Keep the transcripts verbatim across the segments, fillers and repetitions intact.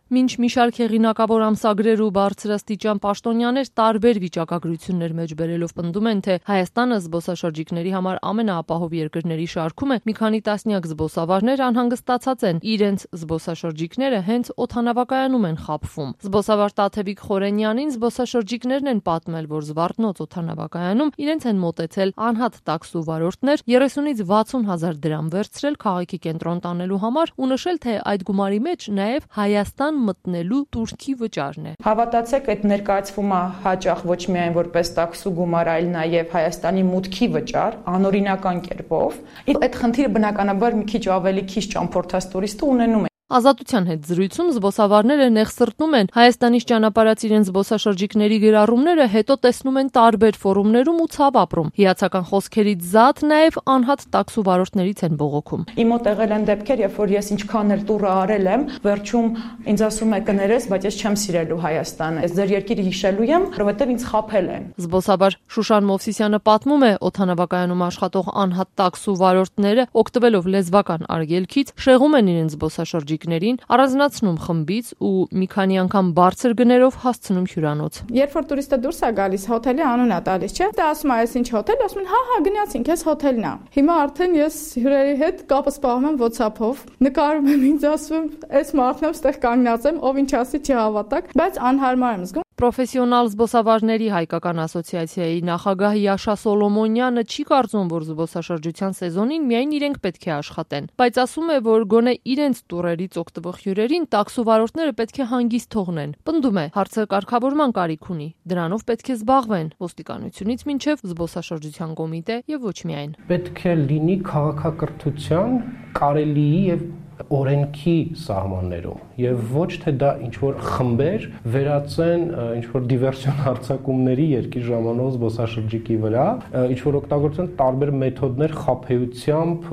Մինչ մի շարք հեղինակավոր ամսագրեր ու բարձրաստիճան պաշտոնյաներ տարբեր վիճակագրություններ մեջ բերելով պնդում են, թե Հայաստանը զբոսաշրջիկների համար ամենաապահով երկրների շարքում է, մի քանի տասնյակ զբոսավարներ անհանգստացած են, իրենց զբոսաշրջիկները հենց օդանավակայանում են խաբվում։ Զբոսավար Տաթևիկ Խորենյանին զբոսաշրջիկներն են պատմել, որ Զվարթնոց օդանավակայանում իրենց են մոտեցել անհատ տաքսու վարորդներ, երեսունից վաթսուն հազար դրամ վերցրել քաղաքի կենտրոն տանելու համար ու նշել, թե այդ գումարի մեջ նաև Հայաստան մտնելու турքի վճարն է։ Հավատացեք, այդ ներկայացվում է հաճախ ոչ միայն որպես տաքսու գումար, այլ նաև Հայաստանի մուտքի վճար, անօրինական կերպով։ Այդ խնդիրը բնականաբար մի քիչ ավելի քիչ ճամփորդած տուրիստը ունենում է։ Ազատության հետ զրույցում զբոսավարները նեղսրտնում են Հայաստանից ճանապարհած իրենց զբոսաշրջիկների գրառումները հետո տեսնում են տարբեր ֆորումներում ու ցավ ապրում։ Հիացական խոսքերից զատ նաև անհատ տաքսու վարորդներից են բողոքում։ Իմ մոտ եղել են դեպքեր, երբ որ ես ինչքան էլ տուրը արել եմ, վերջում ինձ ասում է կներես, բայց ես չեմ սիրելու Հայաստանը։ Ես ձեր երկիրը հիշելու եմ, որովհետև ինձ խաբել են։ Զբոսավար Շուշան Մովսիսյանը պատմում է, օդանավակայանում աշխատող անհատ տաքսու վարորդները օգտվելով լեզվական արգելքից շեղում են իրենց զբոսաշրջիկներին, առանձնացնում խմբից ու մի քանի անգամ բարձր գներով հասցնում հյուրանոց։ Երբ որ տուրիստը դուրս է գալիս, հոթելի անուն է տալիս, չէ՞։ Դա ասում է, այս ինչ հոթել, ասում են, հա, հա, գնացինք, այս հոթելն է։ Հիմա արդեն ես հյուրերի հետ կապը սպառում եմ WhatsApp-ով, նկարում եմ, ինձ ասում եմ, այս մարդն եմ, ստեղ կանգնած եմ, ով ինչ ասի չհավատակ, բայց անհարմար եմ զգում։ Պրոֆեսիոնալ զբոսավարների հայկական ասոցիացիայի նախագահ Յաշա Սոլոմոնյանը չի կարծում, որ զբոսաշրջության սեզոնին միայն իրենք պետք է աշխատեն, բայց ասում է, որ գոնե իրենց տուրերից օգտվող հյուրերին տաքսու վարորդները պետք է հանգիստ թողնեն։ Պնդում է, հարցը կարգավորման կարիք ունի, դրանով պետք է զբաղվեն ոստիկանությունից մինչև զբոսաշրջության կոմիտե եւ ոչ միայն։ Պետք է լինի քաղաքակրթության, կարելիի եւ օրենքի սահմաններում եւ ոչ թե դա ինչ որ խմբեր վերածեն ինչ որ դիվերսիոն հարձակումների երկիր ժամանակ զբոսաշրջիկի վրա, ինչ որ օգտագործեն տարբեր մեթոդներ խաբեությամբ,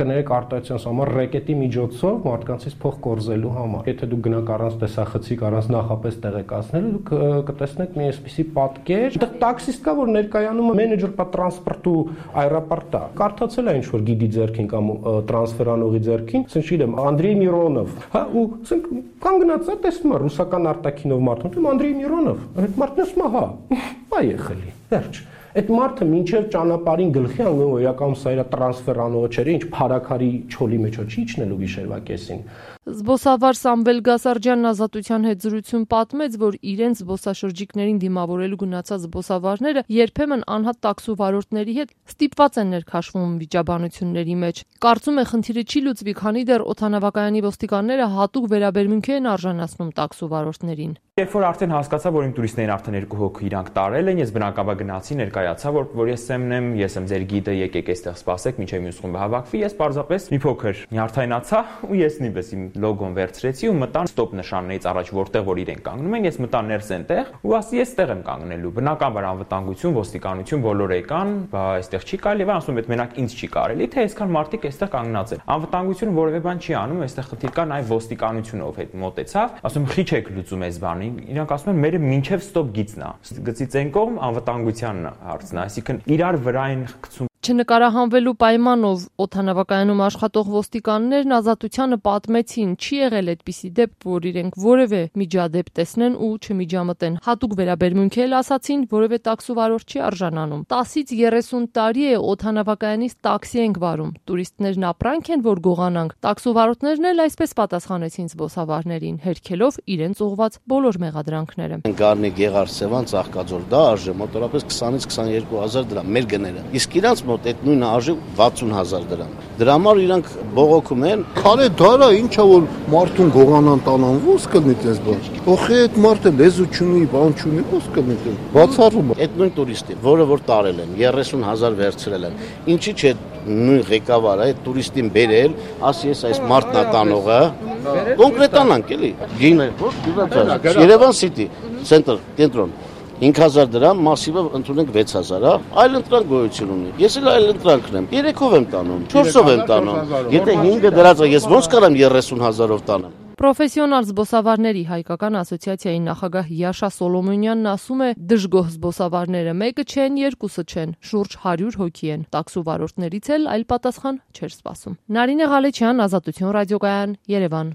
կներեք արտահայտության համար ռեկետի միջոցով մարդկանցից փող կորզելու համար։ Եթե դուք գնաք առանց տեսախցիկ, առանց նախապես տեղեկացնելու, դուք կտեսնեք մի այսպիսի պատկեր։ Այդտեղ տաքսիստ կա, որ ներկայանում է մենեջեր պա տրանսպորտու այրապորտա։ Կարդացել է ինչ որ գիդի ձեռքին կամ տրանսֆերանողի ձեռքին, չգիտեմ, Անդրեյ Միրոնով, հա, ու ասենք կանգնած է, տեսնում է ռուսական արտաքինով մարդուն, Անդրեյ Միրոնով, այդ մարդն ասում է, հա, այ եղելի, վերջ։ Այդ մարդը մինչև ճանապարհին գլխի անգամ իրական սա իր տրանսֆերանողը չէր, ինչ փարակարի չոլի մեջ չի իջնելու գիշերվա կեսին։ Զբոսավար Սամվել Գասարջյանն Ազատության հետ զրույցում պատմեց, որ իրենց զբոսաշրջիկներին դիմավորելու գնացած զբոսավարները երբեմն անհատ տաքսու վարորդների հետ ստիպված են ներքաշվում վիճաբանությունների մեջ։ Կարծում է, խնդիրը չի լուծվի, քանի դեռ օդանավակայանի ոստիկանները հատուկ վերաբերմունքի են արժանացնում տաքսու վարորդներին։ Երբ որ արդեն հասկացա, որ իմ տուրիստներին արդեն երկու հոգի իրանք տարել են, ես բնակաբար գնացի, ներկայացա, որ որ ես Սեմն եմ, ես եմ ձեր գիդը, եկեք այստեղ սպասեք, մինչև մյուս խումբը հավաքվի, ես պարզապես մի փոքր նյարդայնացա ու ես նույնպես իմ լոգոն վերցրեցի ու մտա ստոպ նշաններից առաջ, որտեղ որ իրենք կանգնում են, ես մտա ներս այնտեղ ու ասի ես ստեղ եմ կանգնելու։ Բնականաբար անվտանգություն, ոստիկանություն բոլորը եկան, բա այստեղ չի կարելի, եւ ասում եմ, մենակ ինձ չի կարելի, թե այսքան մարդիկ այստեղ կանգնած են։ Անվտանգությունը որևէ բան չի անում, այստեղ խնդիր կա, նաև ոստիկանությունով հետ մոտեցավ, ասում խի չեք լուծում այս բանին։ Իրանք ասում են, մերը մինչև ստոպ գիծն է։ Գծից այն կողմ անվտանգության հարցն է, այսինքն իրար վրա են խցում։ Չնկարահանվելու պայմանով օդանավակայանում աշխատող ոստիկաններն Ազատությանը պատմեցին, չի եղել այդպիսի դեպք, որ իրենք որևէ միջադեպ տեսնեն ու չմիջամտեն։ Հատուկ վերաբերմունք էլ ասացին, որևէ տաքսու վարորդ չի արժանանում։ տասից երեսուն տարի է օդանավակայանից տաքսի ենք վարում։ Տուրիստներն ապրանք են, որ գողանանք։ Տաքսու վարորդներն էլ այսպես պատասխանեցին զբոսավարներին, հերքելով իրենց ուղված բոլոր մեղադրանքները։ Գառնի Գեղարդ Սևան Ծաղկաձոր, դա արժե մոտավորապես քսանից քսաներկու հազար դրամ մեր գները։ Իսկ իրանց մոտ այդ նույնը արժե վաթսուն հազար դրամ։ Դրա համար իրանք բողոքում են, քարե դարա ինչա որ մարդուն գողանան տանան, ո՞ս կլինի այդպես բան։ Ոխե այդ մարդը լեզու չունի, բան չունի, ո՞ս կլինի։ Բացառում է։ Այդ նույն տուրիստի, որը որ տարել են, երեսուն հազար վերցրել են։ Ինչի՞ չէ նույն ղեկավարը այդ տուրիստին բերել, ասի ես այս մարդն է տանողը, կոնկրետանանք էլի։ Գինը, ոչ, Երևան City, Center, կենտրոն հինգ հազար դրամ, մասիվը ընդունենք վեց հազար, հա, այլ ընտրանք գոյություն ունի։ Ես էլ այլ ընտրանքն եմ, երեքով եմ տանում, չորսով եմ տանում։ Եթե հինգը դրած է, ես ոնց կարամ երեսուն հազարով տանեմ։ Պրոֆեսիոնալ զբոսավարների հայկական ասոցիացիայի նախագահ Յաշա Սոլոմոնյանն ասում է, դժգոհ զբոսավարները մեկը չեն, երկուսը չեն, շուրջ հարյուր հոգի են։ Տաքսու վարորդներից էլ այլ պատասխան չէր սպասում։ Նարինե Ղալեչյան, Ազատություն ռադիոկայան, Երևան։